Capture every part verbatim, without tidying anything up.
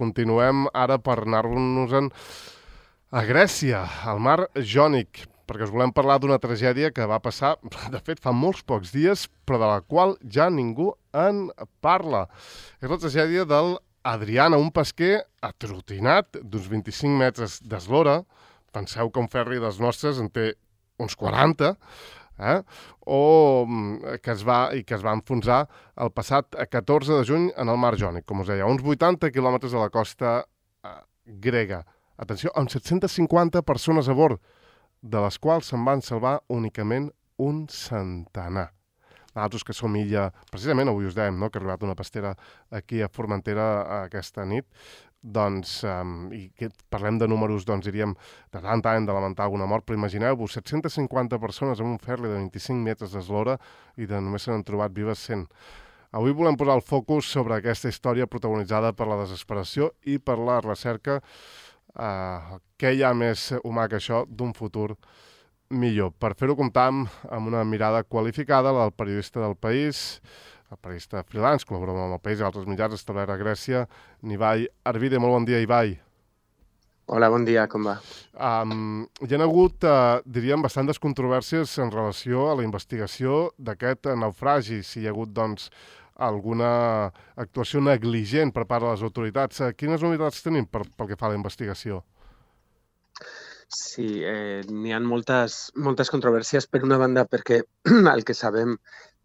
Continuem ara per anar-nos-en a Grècia, al mar Jònic, perquè us volem parlar d'una tragèdia que va passar, de fet, fa molts pocs dies, però de la qual ja ningú en parla. És la tragèdia del Adriana, un pesquer atrotinat d'uns vint-i-cinc metres d'eslora. Penseu que un ferri dels nostres en té uns quaranta, eh? o que es va, i que es va enfonsar el passat catorze de juny en el mar Jònic, com us deia, a uns vuitanta quilòmetres de la costa eh, grega. Atenció, amb set-centes cinquanta persones a bord, de les quals se'n van salvar únicament un centenar. Nosaltres que som illa, precisament avui us dèiem, no?, que ha arribat una pastera aquí a Formentera aquesta nit, doncs, um, i que parlem de números, doncs diríem, de tant any de lamentar alguna mort, però imagineu-vos, set-centes cinquanta persones en un ferri de vint-i-cinc metres d'eslora i de només se n'han trobat vives cent. Avui volem posar el focus sobre aquesta història protagonitzada per la desesperació i per la recerca, uh, què hi ha més humà que això, d'un futur millor. Per fer-ho comptam amb una mirada qualificada, la del periodista del País, el periodista freelance, col·labora amb el País i altres mitjans, establert a Grècia, Ibai Arvide. Molt bon dia, Ibai. Hola, bon dia, com va? Um, hi ha hagut, uh, diríem, bastantes controvèrsies en relació a la investigació d'aquest naufragi, si hi ha hagut, doncs, alguna actuació negligent per part de les autoritats. Uh, quines novetats tenim per, pel que fa a la investigació? Sí, eh, n'hi ha moltes, moltes controvèrsies, per una banda, perquè el que sabem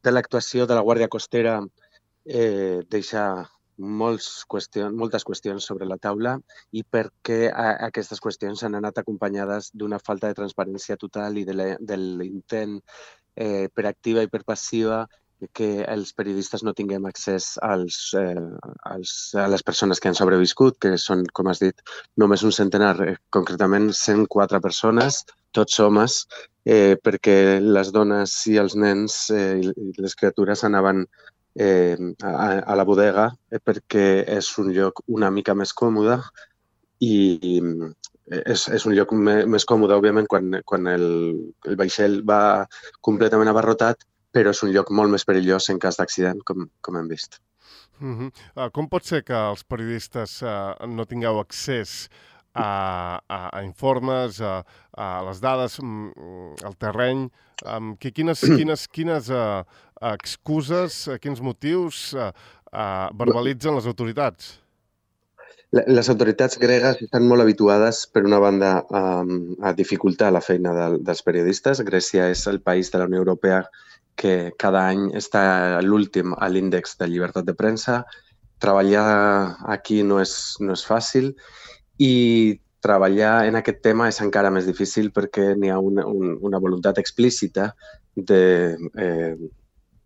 de l'actuació de la Guàrdia Costera eh, deixa molts qüestions, moltes qüestions sobre la taula i perquè a, aquestes qüestions han anat acompanyades d'una falta de transparència total i de l'intent eh, per activa i per passiva que els periodistes no tinguem accés als, eh, als, a les persones que han sobreviscut, que són, com has dit, només un centenar, eh, concretament cent quatre persones, tots homes, eh, perquè les dones i els nens eh, i les criatures anaven eh, a, a la bodega eh, perquè és un lloc una mica més còmode i, i és, és un lloc me, més còmode, òbviament, quan, quan el, el vaixell va completament abarrotat, però és un lloc molt més perillós en cas d'accident, com, com hem vist. Uh-huh. Uh, com pot ser que els periodistes uh, no tingueu accés a, a, a informes, a, a les dades, al terreny? Um, que, quines quines, quines uh, excuses, uh, quins motius uh, uh, verbalitzen les autoritats? Les autoritats gregues estan molt habituades, per una banda, a, a dificultar la feina de, dels periodistes. Grècia és el país de la Unió Europea que cada any està a l'últim a l'índex de llibertat de premsa. Treballar aquí no és, no és fàcil i treballar en aquest tema és encara més difícil perquè n'hi ha una, un, una voluntat explícita de, eh,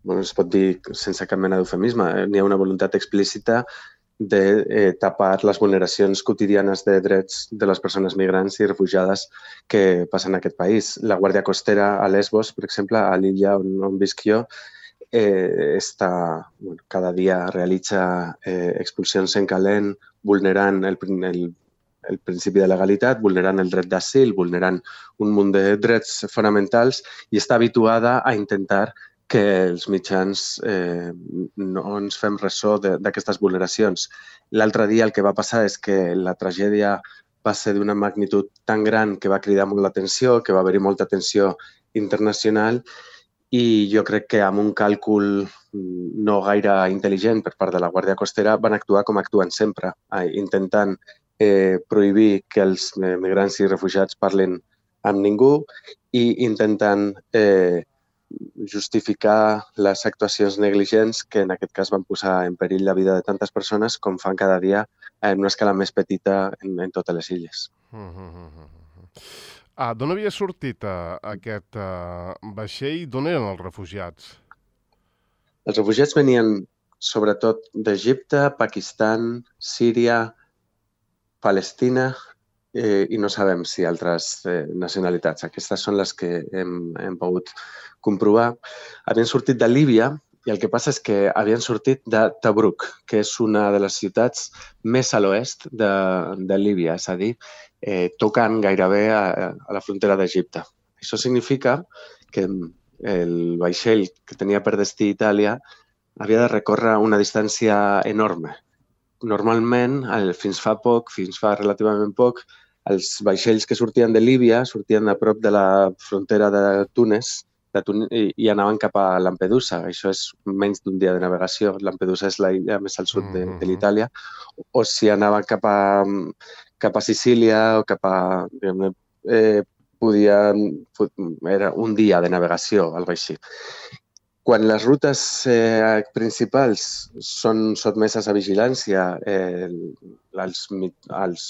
bueno, es pot dir sense cap mena d'eufemisme, eh, n'hi ha una voluntat explícita de eh, tapar les vulneracions quotidianes de drets de les persones migrants i refugiades que passen en aquest país. La Guàrdia Costera a Lesbos, per exemple, a l'illa on, on visc jo, eh, està, bueno, cada dia realitza eh, expulsions en calent, vulnerant el, el, el principi de legalitat, vulnerant el dret d'asil, vulnerant un munt de drets fonamentals i està habituada a intentar que els mitjans eh, no ens fem ressò d'aquestes vulneracions. L'altre dia el que va passar és que la tragèdia va ser d'una magnitud tan gran que va cridar molt l'atenció, que va haver-hi molta atenció internacional i jo crec que amb un càlcul no gaire intel·ligent per part de la Guàrdia Costera van actuar com actuen sempre, intentant eh, prohibir que els migrants i refugiats parlin amb ningú i intentant eh, justificar les actuacions negligents que en aquest cas van posar en perill la vida de tantes persones com fan cada dia en una escala més petita en, en totes les illes. Uh, uh, uh, uh. Ah, d'on havia sortit uh, aquest uh, vaixell? D'on eren els refugiats? Els refugiats venien sobretot d'Egipte, Pakistan, Síria, Palestina eh, i no sabem si altres eh, nacionalitats. Aquestes són les que hem, hem pogut comprovar. Havien sortit de Líbia i el que passa és que havien sortit de Tobruk, que és una de les ciutats més a l'oest de, de Líbia, és a dir, eh, tocant gairebé a, a la frontera d'Egipte. Això significa que el vaixell que tenia per destí Itàlia havia de recórrer una distància enorme, normalment, fins fa poc, fins fa relativament poc, els vaixells que sortien de Líbia sortien a prop de la frontera de Túnez de Tun i, i anaven cap a Lampedusa. Això és menys d'un dia de navegació. Lampedusa és l'illa més al sud de, de l'Itàlia. O si anaven cap a, cap a Sicília o cap a... Eh, podien, era un dia de navegació, algo així. Quan les rutes eh, principals són sotmeses a vigilància, eh, els, els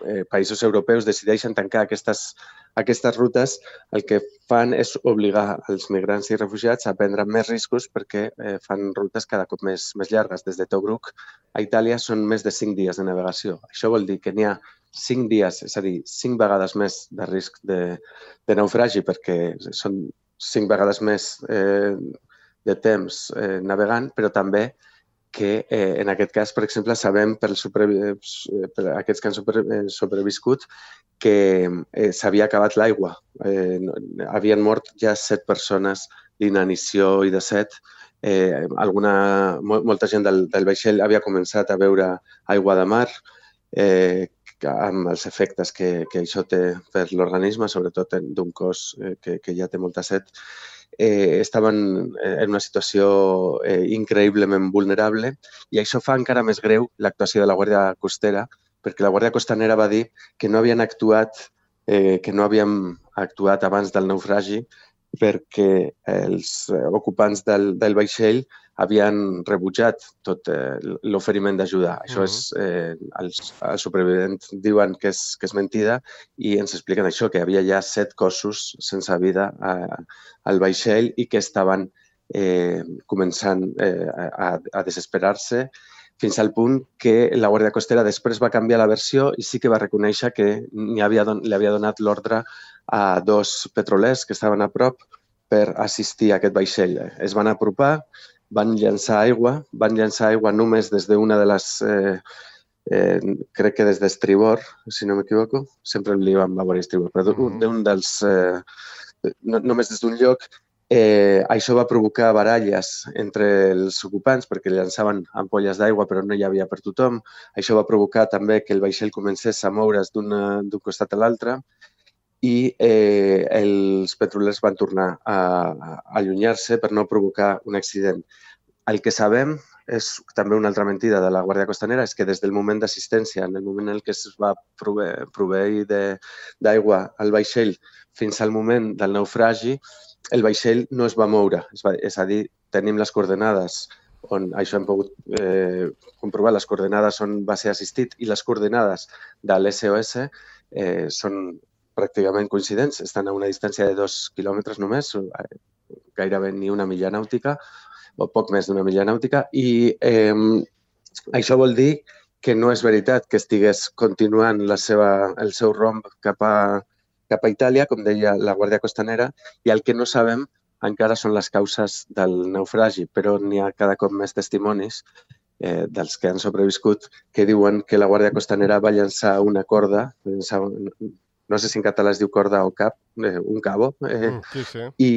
eh, països europeus decideixen tancar aquestes, aquestes rutes, el que fan és obligar els migrants i refugiats a prendre més riscos perquè eh, fan rutes cada cop més, més llargues. Des de Tobruk a Itàlia són més de cinc dies de navegació. Això vol dir que n'hi ha cinc dies, és a dir, cinc vegades més de risc de, de naufragi perquè són cinc vegades més eh, de temps eh, navegant, però també que eh, en aquest cas, per exemple, sabem per, per aquests que han sobre, eh, sobreviscut que eh, s'havia acabat l'aigua. Eh, havien mort ja set persones d'inanició i de set. Eh, alguna, molta gent del, del vaixell havia començat a beure aigua de mar, eh, amb els efectes que, que això té per l'organisme, sobretot d'un cos eh, que, que ja té molta set. Eh, estaven en una situació eh, increïblement vulnerable i això fa encara més greu l'actuació de la Guàrdia Costera, perquè la Guàrdia Costanera va dir que no havien actuat, eh, que no havíem actuat abans del naufragi perquè els ocupants del, del vaixell havien rebutjat tot eh, l'oferiment d'ajudar. Això és, eh, els, els supervivents diuen que és, que és mentida i ens expliquen això, que hi havia ja set cossos sense vida a, al vaixell i que estaven eh, començant eh, a, a desesperar-se fins al punt que la Guàrdia Costera després va canviar la versió i sí que va reconèixer que havia don, li havia donat l'ordre a dos petrolers que estaven a prop per assistir a aquest vaixell. Es van apropar, van llançar aigua, van llançar aigua només des d'una de les, eh, eh, crec que des d'estribor, si no m'equivoco, sempre li vam veure estribor, però d'un dels, eh, no, només des d'un lloc. Eh, això va provocar baralles entre els ocupants perquè llançaven ampolles d'aigua però no hi havia per tothom. Això va provocar també que el vaixell comencés a moure's d'un costat a l'altre i eh, els petrolers van tornar a, a allunyar-se per no provocar un accident. El que sabem és també una altra mentida de la Guàrdia Costanera, és que des del moment d'assistència, en el moment en què es va proveir, proveir d'aigua al vaixell fins al moment del naufragi, el vaixell no es va moure. És, va, és a dir, tenim les coordenades on això hem pogut eh, comprovar, les coordenades on va ser assistit i les coordenades de l'S O S eh, són pràcticament coincidents, estan a una distància de dos quilòmetres només, gairebé ni una milla nàutica, o poc més d'una milla nàutica, i eh, això vol dir que no és veritat que estigués continuant la seva, el seu romb cap a, cap a Itàlia, com deia la Guàrdia Costanera, i el que no sabem encara són les causes del naufragi, però n'hi ha cada cop més testimonis eh, dels que han sobreviscut que diuen que la Guàrdia Costanera va llançar una corda, llançar un, no sé si en català es diu corda o cap, eh, un cabo, eh, mm, sí, sí. i,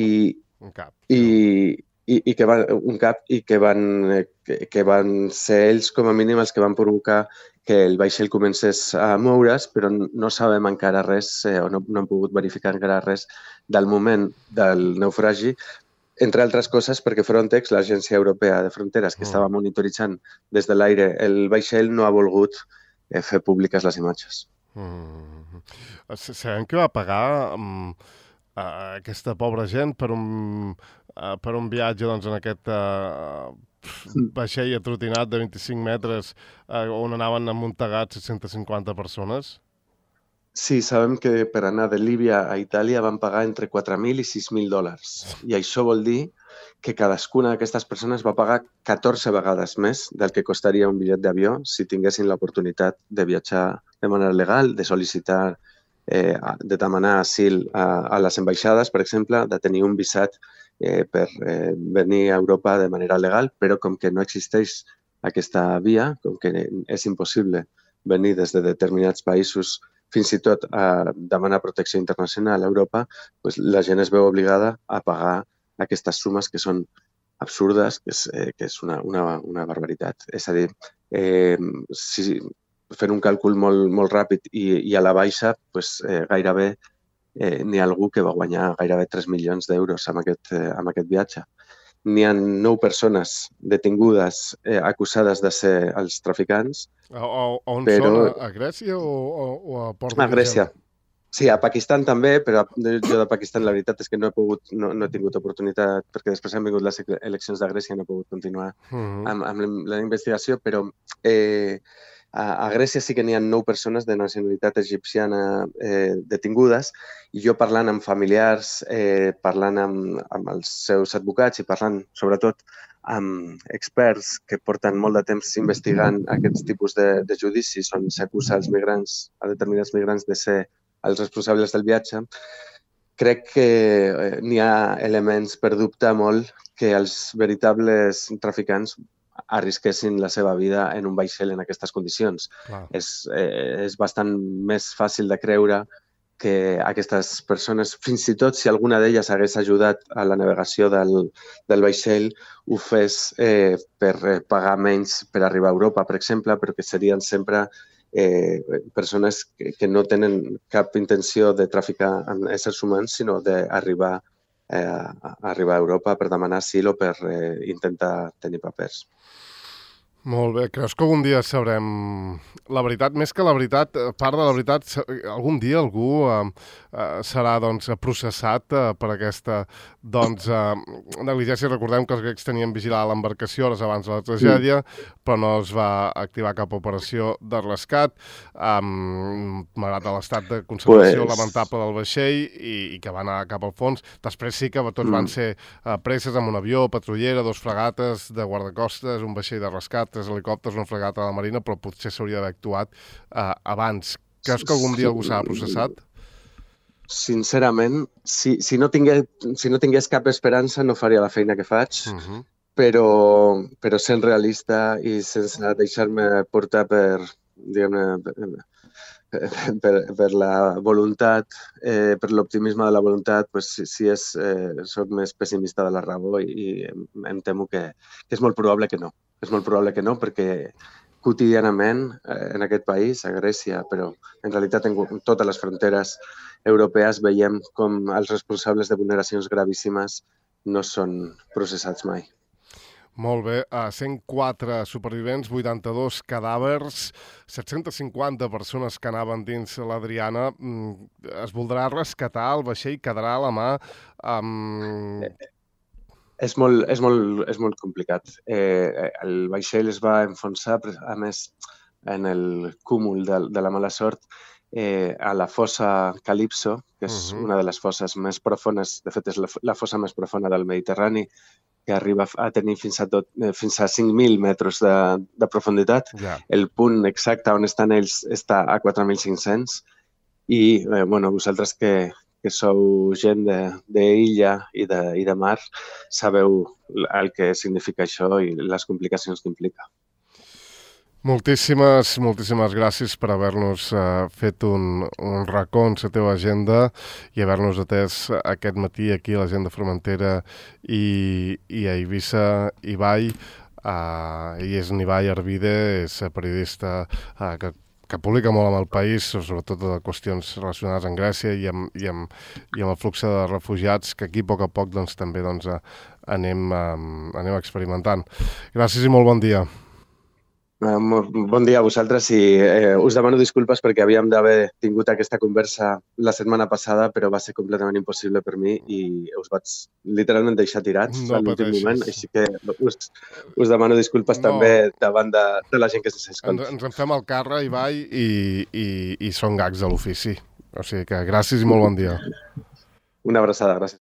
un cap, sí. i, i, i que van, un cap i que van, eh, que, que van ser ells com a mínim els que van provocar que el vaixell comencés a moure's, però no sabem encara res, eh, o no, no hem pogut verificar encara res del moment del naufragi, entre altres coses perquè Frontex, l'Agència Europea de Fronteres, que mm. estava monitoritzant des de l'aire el vaixell, no ha volgut eh, fer públiques les imatges. Mm. Sabem que va pagar um, uh, aquesta pobra gent per un, uh, per un viatge doncs, en aquest uh, vaixell atrotinat de vint-i-cinc metres uh, on anaven amuntegats set-cents cinquanta persones? Sí, sabem que per anar de Líbia a Itàlia van pagar entre quatre mil i sis mil dòlars. I això vol dir que cadascuna d'aquestes persones va pagar catorze vegades més del que costaria un bitllet d'avió si tinguessin l'oportunitat de viatjar de manera legal, de sol·licitar, eh, de demanar asil a, a les ambaixades, per exemple, de tenir un visat eh, per eh, venir a Europa de manera legal, però com que no existeix aquesta via, com que és impossible venir des de determinats països fins i tot a demanar protecció internacional a Europa, doncs la gent es veu obligada a pagar aquestes sumes que són absurdes, que és, eh, que és una, una, una barbaritat. És a dir, eh, si, fent un càlcul molt, molt ràpid i, i a la baixa, pues, eh, gairebé eh, n'hi ha algú que va guanyar gairebé tres milions d'euros amb, aquest, eh, amb aquest viatge. N'hi ha nou persones detingudes eh, acusades de ser els traficants. A, a, on però... són? A, a Grècia o, o, o a Port de A Grècia. Sí, a Pakistan també, però jo de Pakistan la veritat és que no he pogut, no, no he tingut oportunitat, perquè després han vingut les eleccions de Grècia i no he pogut continuar uh -huh. amb, amb la investigació, però eh, a, a Grècia sí que n'hi ha nou persones de nacionalitat egipciana eh, detingudes, i jo parlant amb familiars, eh, parlant amb, amb els seus advocats i parlant sobretot amb experts que porten molt de temps investigant aquests tipus de, de judicis on s'acusa als migrants, a determinats migrants de ser els responsables del viatge, crec que n'hi ha elements per dubtar molt que els veritables traficants arrisquessin la seva vida en un vaixell en aquestes condicions. És, eh, és bastant més fàcil de creure que aquestes persones, fins i tot si alguna d'elles hagués ajudat a la navegació del, del vaixell, ho fes eh, per pagar menys per arribar a Europa, per exemple, però que serien sempre Eh, persones que, que no tenen cap intenció de traficar amb éssers humans, sinó d'arribar eh, a arribar a Europa per demanar asil o per eh, intentar tenir papers. Molt bé. Creus que algun dia sabrem la veritat? Més que la veritat, part de la veritat, algun dia algú eh, eh, serà doncs, processat eh, per aquesta doncs, eh, negligència. Recordem que els grecs tenien vigilada l'embarcació hores abans de la tragèdia, mm. però no es va activar cap operació de rescat, eh, malgrat l'estat de conservació pues... lamentable del vaixell i, i que va anar cap al fons. Després sí que tots mm. van ser eh, preses amb un avió, patrullera, dos fregates de guardacostes, un vaixell de rescat, tres helicòpters, una fregata de la Marina, però potser s'hauria d'haver actuat eh, abans. Creus que algun dia algú s'ha processat? Sincerament, si, si, no tingués, si no tingués cap esperança no faria la feina que faig, uh -huh. però, però sent realista i sense deixar-me portar per, diguem-ne, per, per, per la voluntat, eh, per l'optimisme de la voluntat, pues, si, si és, eh, soc més pessimista de la raó i, i em, em temo que, que és molt probable que no. És molt probable que no, perquè quotidianament eh, en aquest país, a Grècia, però en realitat en totes les fronteres europees veiem com els responsables de vulneracions gravíssimes no són processats mai. Molt bé. Uh, cent quatre supervivents, vuitanta-dos cadàvers, set-centes cinquanta persones que anaven dins l'Adriana. Mm, es voldrà rescatar, el vaixell quedarà a la mà... Um... És molt, és molt, és molt complicat. Eh, el vaixell es va enfonsar, a més, en el cúmul de, de la mala sort, eh, a la fossa Calipso, que és uh-huh. una de les fosses més profones, de fet és la, la fossa més profunda del Mediterrani, que arriba a tenir fins a, tot, eh, fins a cinc mil metres de, de profunditat. Yeah. El punt exacte on estan ells està a quatre mil cinc-cents i, eh, bueno, vosaltres que que sou gent d'illa i, de, i de mar, sabeu el que significa això i les complicacions que implica. Moltíssimes, moltíssimes gràcies per haver-nos uh, fet un, un racó en la teva agenda i haver-nos atès aquest matí aquí a l'Agenda Formentera i, i a Eivissa Ibai. Uh, ell és Ibai Arvide, és periodista uh, que que publica molt amb el país, sobretot de qüestions relacionades amb Grècia i amb, i amb, i amb el flux de refugiats, que aquí a poc a poc doncs, també doncs, anem, um, anem experimentant. Gràcies i molt bon dia. Uh, bon dia a vosaltres i eh, us demano disculpes perquè havíem d'haver tingut aquesta conversa la setmana passada, però va ser completament impossible per mi i us vaig literalment deixar tirats no a l'últim moment, així que us, us demano disculpes no. també davant de, de la gent que s'escolta. Ens, ens en fem el càrrec, Ibai, i, i, i són gags de l'ofici. O sigui que gràcies i molt bon dia. Una abraçada, gràcies.